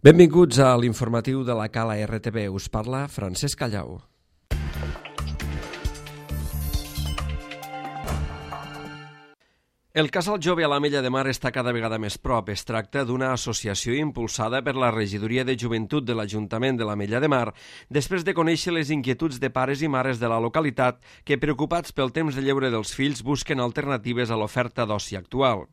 Benvinguts a l'informatiu de la Cala RTV. Us parla Francesc Callau. El casal jove a l'Ametlla de Mar està cada vegada més prop. Es tracta d'una associació impulsada per la Regidoria de Joventut de l'Ajuntament de l'Ametlla de Mar després de conèixer les inquietuds de pares i mares de la localitat que, preocupats pel temps de lleure dels fills, busquen alternatives a l'oferta d'oci actual.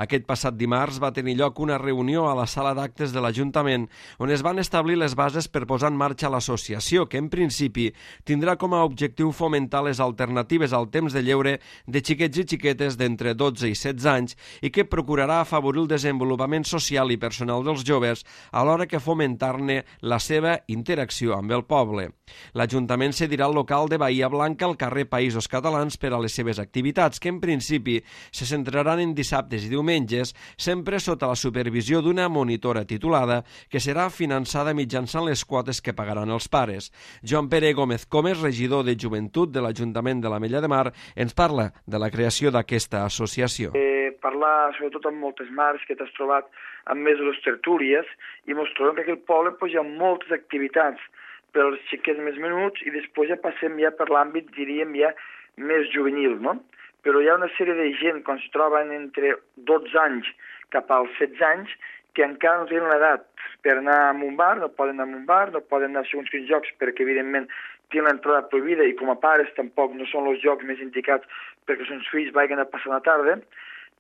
Aquest passat dimarts va tenir lloc una reunió a la sala d'actes de l'Ajuntament on es van establir les bases per posar en marxa l'associació, que en principi tindrà com a objectiu fomentar les alternatives al temps de lleure de xiquets i xiquetes d'entre 12 i 16 anys i que procurarà afavorir el desenvolupament social i personal dels joves alhora que fomentar-ne la seva interacció amb el poble. L'Ajuntament cedirà el local de Bahia Blanca al carrer Països Catalans per a les seves activitats, que en principi se centraran en dissabtes i diumenges, sempre sota la supervisió d'una monitora titulada que serà finançada mitjançant les quotes que pagaran els pares. Joan Pere Gómez Comes, regidor de Joventut de l'Ajuntament de l'Ametlla de Mar, ens parla de la creació d'aquesta associació. Parlar sobretot amb moltes mares que t'has trobat amb més de les tertúlies i mos trobem que aquí al poble hi ha moltes activitats per als xiquets més menuts i després ja passem ja per l'àmbit, diríem, ja més juvenil, no? Però hi ha una sèrie de gent, quan es troben entre 12 anys cap als 16 anys, que encara no tenen l'edat per anar a un bar, no poden anar a un bar, no poden anar a segons quins jocs perquè, evidentment, tenen l'entrada prohibida i com a pares tampoc no són els jocs més indicats perquè els seus fills vagin a passar la tarda,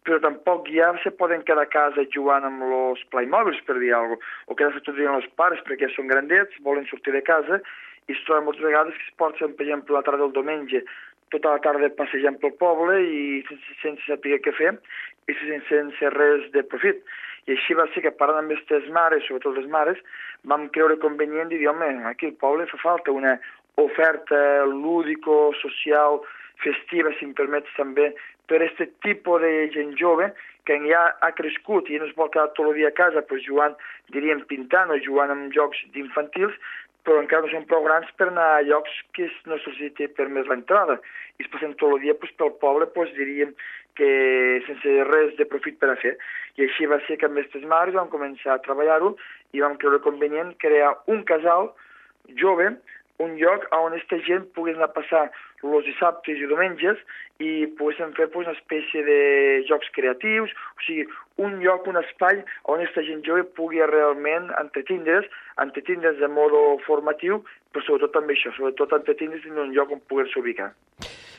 però tampoc ja se poden quedar a casa jugant amb els Playmobils, per dir alguna cosa, o quedar-se tot dient els pares perquè ja són grandets, volen sortir de casa i es troben moltes vegades que es porten, per exemple, la tarda del diumenge, tota la tarda passejant pel poble i sense saber què fer i sense res de profit. I així va ser que parlant amb aquestes mares, sobretot les mares, vam creure convenient de dir, home, aquí al poble fa falta una oferta lúdico-social, festiva, si em permets també, per aquest tipus de gent jove que ja ha crescut i no es vol quedar tot el dia a casa però jugant, diríem, pintant o jugant amb jocs d'infantils, però encara no són prou grans per anar a llocs que no se'ls té permès l'entrada. I es passen tot el dia pel poble, diríem que sense res de profit per a fer. I així va ser que amb aquestes mares vam començar a treballar-ho i vam creure convenient crear un casal jove, un lloc on aquesta gent pogués anar a passar els dissabtes i diumenges i poguéssim fer una espècie de jocs creatius, o sigui, un lloc, un espai on aquesta gent jove pugui realment entretindre's de modo formatiu, però sobretot també això, sobretot entretindre's en un lloc on poder-se ubicar.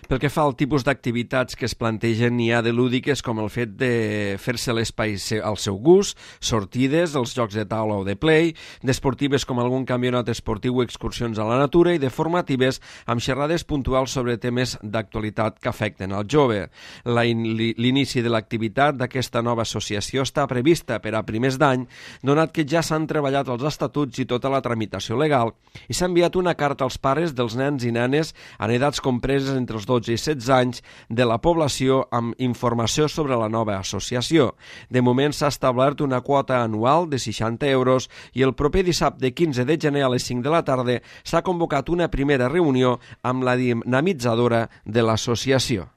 Pel que fa al tipus d'activitats que es plantegen, n'hi ha de lúdiques com el fet de fer-se l'espai al seu gust, sortides, els jocs de taula o de play, d'esportives com algun campionat esportiu o excursions a la natura i de formatives amb xerrades puntuals sobre temes d'actualitat que afecten al jove. L'inici de l'activitat d'aquesta nova associació està prevista per a primers d'any, donat que ja s'han treballat els estatuts i tota la tramitació legal i s'ha enviat una carta als pares dels nens i nenes en edats compreses entre els 12 i 16 anys de la població amb informació sobre la nova associació. De moment s'ha establert una quota anual de 60 euros i el proper dissabte 15 de gener a les 5 de la tarda s'ha convocat una primera reunió amb la dinamitzadora de l'associació.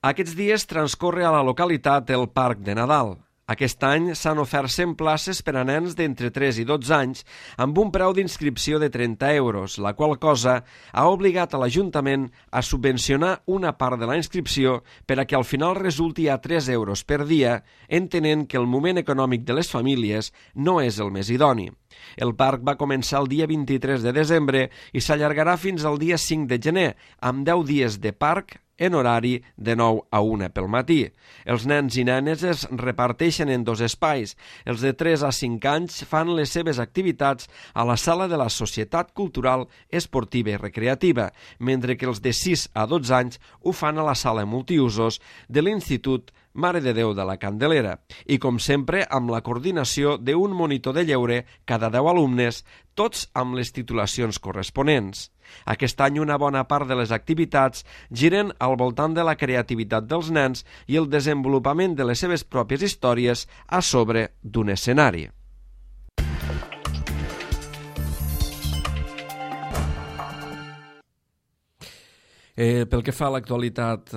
Aquests dies transcorre a la localitat el Parc de Nadal. Aquest any s'han ofert 100 places per a nens d'entre 3 i 12 anys amb un preu d'inscripció de 30 euros, la qual cosa ha obligat a l'Ajuntament a subvencionar una part de la inscripció per a que al final resulti a 3 euros per dia, entenent que el moment econòmic de les famílies no és el més idoni. El parc va començar el dia 23 de desembre i s'allargarà fins al dia 5 de gener, amb 10 dies de parc en horari de 9 a 1 pel matí. Els nens i nenes es reparteixen en 2 espais. Els de 3 a 5 anys fan les seves activitats a la sala de la Societat Cultural, Esportiva i Recreativa, mentre que els de 6 a 12 anys ho fan a la sala multiusos de l'Institut Mare de Déu de la Candelera. I, com sempre, amb la coordinació d'un monitor de lleure cada 10 alumnes, tots amb les titulacions corresponents. Aquest any una bona part de les activitats giren al voltant de la creativitat dels nens i el desenvolupament de les seves pròpies històries a sobre d'un escenari. Pel que fa a l'actualitat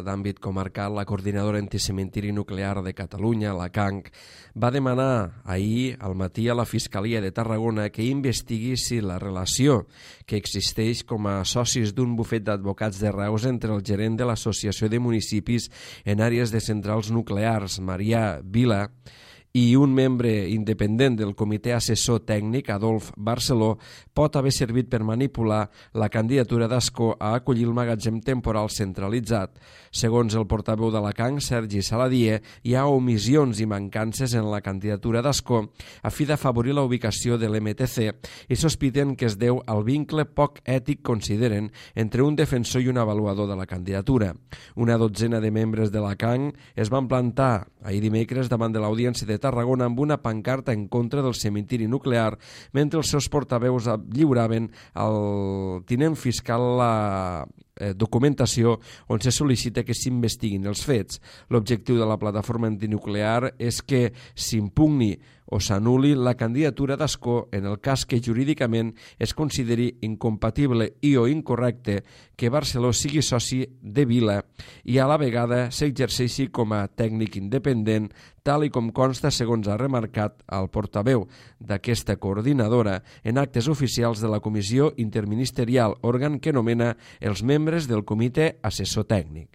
d'àmbit comarcal, la Coordinadora Anticementiri Nuclear de Catalunya, la CANC, va demanar ahir al matí a la Fiscalia de Tarragona que investigui si la relació que existeix com a socis d'un bufet d'advocats de Reus entre el gerent de l'Associació de Municipis en àrees de centrals nuclears, Marià Vila, i un membre independent del comitè assessor tècnic, Adolf Barceló, pot haver servit per manipular la candidatura d'Ascó a acollir el magatzem temporal centralitzat. Segons el portaveu de la CANC, Sergi Saladier, hi ha omissions i mancances en la candidatura d'Ascó a fi d'afavorir la ubicació de l'MTC i sospiten que es deu al vincle poc ètic, consideren, entre un defensor i un avaluador de la candidatura. Una dotzena de membres de la CANC es van plantar ahir dimecres davant de l'Audiència de Tarragona amb una pancarta en contra del cementiri nuclear, mentre els seus portaveus lliuraven al tinent fiscal la documentació on se sol·licita que s'investiguin els fets. L'objectiu de la plataforma antinuclear és que s'impugni o s'anul·li la candidatura d'Ascó en el cas que jurídicament es consideri incompatible i o incorrecte que Barceló sigui soci de Vila i a la vegada s'exerceixi com a tècnic independent, tal i com consta segons ha remarcat el portaveu d'aquesta coordinadora en actes oficials de la Comissió Interministerial, òrgan que nomena els membres del comitè assessor tècnic.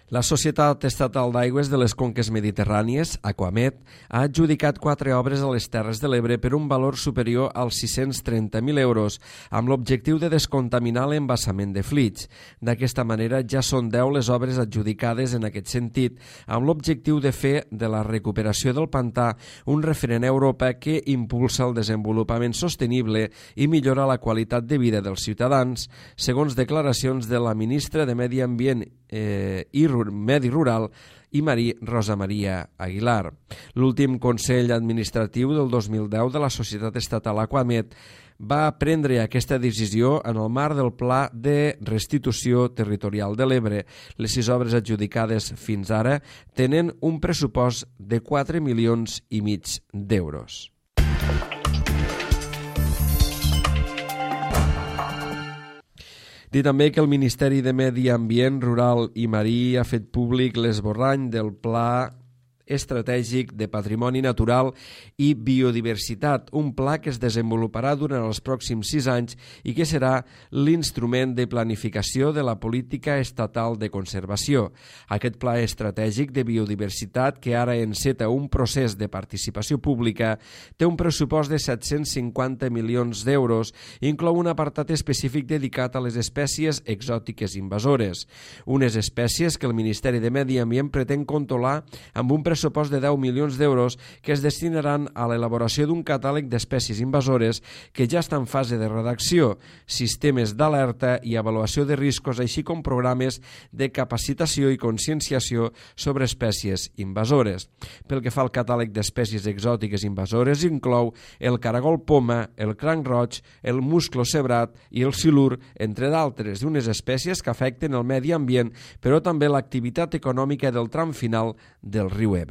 La Societat Estatal d'Aigües de les Conques Mediterrànies, Aquamet, ha adjudicat 4 obres a les Terres de l'Ebre per un valor superior als 630.000 euros, amb l'objectiu de descontaminar l'embassament de Flix. D'aquesta manera, ja són 10 les obres adjudicades en aquest sentit, amb l'objectiu de fer de la recuperació del pantà un referent a Europa que impulsa el desenvolupament sostenible i millora la qualitat de vida dels ciutadans, segons declaracions de la ministra de Medi Ambient i Medi Rural i Marí Rosa Maria Aguilar. L'últim Consell Administratiu del 2010 de la Societat Estatal Aquamet va prendre aquesta decisió en el marc del Pla de Restitució Territorial de l'Ebre. Les 6 obres adjudicades fins ara tenen un pressupost de 4,5 milions d'euros. Dir també que el Ministeri de Medi Ambient, Rural i Marí ha fet públic l'esborrany del Pla Estratègic de Patrimoni Natural i Biodiversitat, un pla que es desenvoluparà durant els pròxims 6 anys i que serà l'instrument de planificació de la política estatal de conservació. Aquest pla estratègic de biodiversitat, que ara enceta un procés de participació pública, té un pressupost de 750 milions d'euros i inclou un apartat específic dedicat a les espècies exòtiques invasores, unes espècies que el Ministeri de Medi Ambient pretén controlar amb un pressupost de 10 milions d'euros que es destinaran a l'elaboració d'un catàleg d'espècies invasores que ja està en fase de redacció, sistemes d'alerta i avaluació de riscos, així com programes de capacitació i conscienciació sobre espècies invasores. Pel que fa al catàleg d'espècies exòtiques invasores, inclou el caragol poma, el cranc roig, el musclo cebrat i el silur, entre d'altres, d'unes espècies que afecten el medi ambient, però també l'activitat econòmica del tram final del riu Ebre.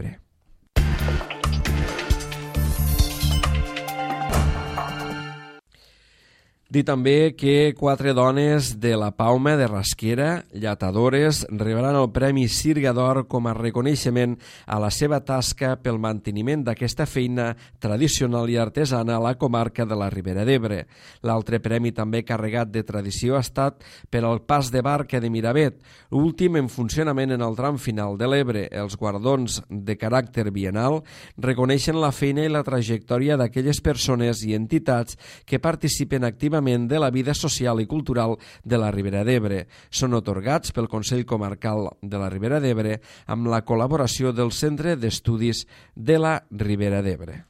Dir també que 4 dones de la Palma de Rasquera, lletadores, rebran el Premi Sirga d'Or com a reconeixement a la seva tasca pel manteniment d'aquesta feina tradicional i artesana a la comarca de la Ribera d'Ebre. L'altre premi també carregat de tradició ha estat per al Pas de Barca de Miravet, últim en funcionament en el tram final de l'Ebre. Els guardons de caràcter biennal reconeixen la feina i la trajectòria d'aquelles persones i entitats que participen activament de la vida social i cultural de la Ribera d'Ebre. Són atorgats pel Consell Comarcal de la Ribera d'Ebre amb la col·laboració del Centre d'Estudis de la Ribera d'Ebre.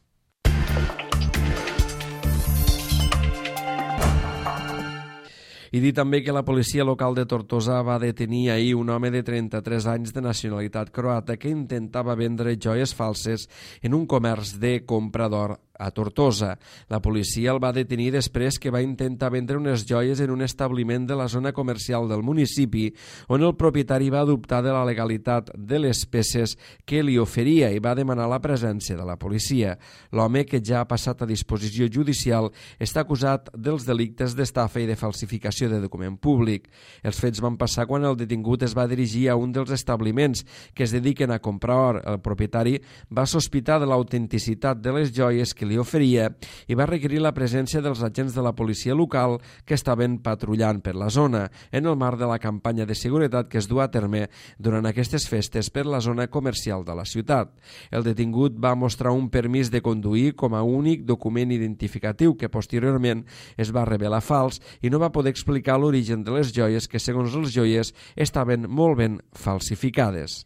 I dir també que la policia local de Tortosa va detenir ahir un home de 33 anys de nacionalitat croata que intentava vendre joies falses en un comerç de compra d'or a Tortosa. La policia el va detenir després que va intentar vendre unes joies en un establiment de la zona comercial del municipi, on el propietari va dubtar de la legalitat de les peces que li oferia i va demanar la presència de la policia. L'home, que ja ha passat a disposició judicial, està acusat dels delictes d'estafa i de falsificació de document públic. Els fets van passar quan el detingut es va dirigir a un dels establiments que es dediquen a comprar or. El propietari va sospitar de l'autenticitat de les joies que li oferia i va requerir la presència dels agents de la policia local que estaven patrullant per la zona en el marc de la campanya de seguretat que es du a terme durant aquestes festes per la zona comercial de la ciutat. El detingut va mostrar un permís de conduir com a únic document identificatiu que posteriorment es va revelar fals i no va poder explicar l'origen de les joies que, segons els joiers, estaven molt ben falsificades.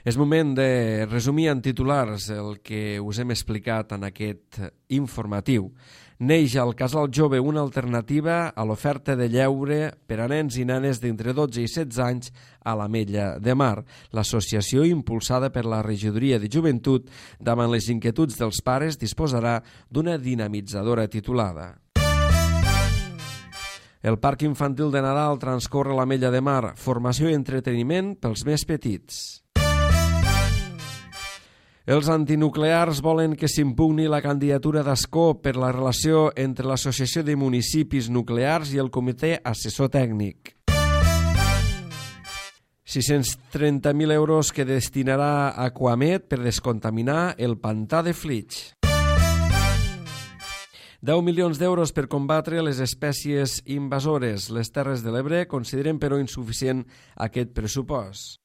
És moment de resumir en titulars el que us hem explicat en aquest informatiu. Neix al Casal Jove una alternativa a l'oferta de lleure per a nens i nenes d'entre 12 i 16 anys a l'Ametlla de Mar. L'associació, impulsada per la Regidoria de Joventut, davant les inquietuds dels pares, disposarà d'una dinamitzadora titulada El Parc Infantil de Nadal transcorre a l'Ametlla de Mar, formació i entreteniment pels més petits. Els antinuclears volen que s'impugni la candidatura d'Ascó per la relació entre l'Associació de Municipis Nuclears i el Comitè Assessor Tècnic. 630.000 euros que destinarà Aquamed per descontaminar el pantà de Flix. 10 milions d'euros per combatre les espècies invasores. Les Terres de l'Ebre consideren però insuficient aquest pressupost.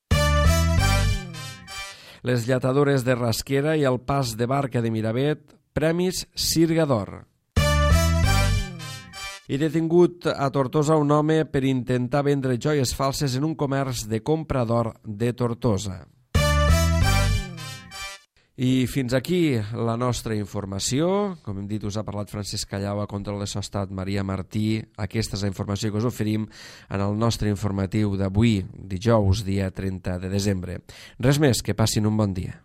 Les lletadores de Rasquera i el pas de barca de Miravet, premis Sirga d'Or. I detingut a Tortosa un home per intentar vendre joies falses en un comerç de compra d'or de Tortosa. I fins aquí la nostra informació. Com hem dit, us ha parlat Francesc Callau, a control de Sostat Maria Martí. Aquesta és la informació que us oferim en el nostre informatiu d'avui, dijous, dia 30 de desembre. Res més, que passin un bon dia.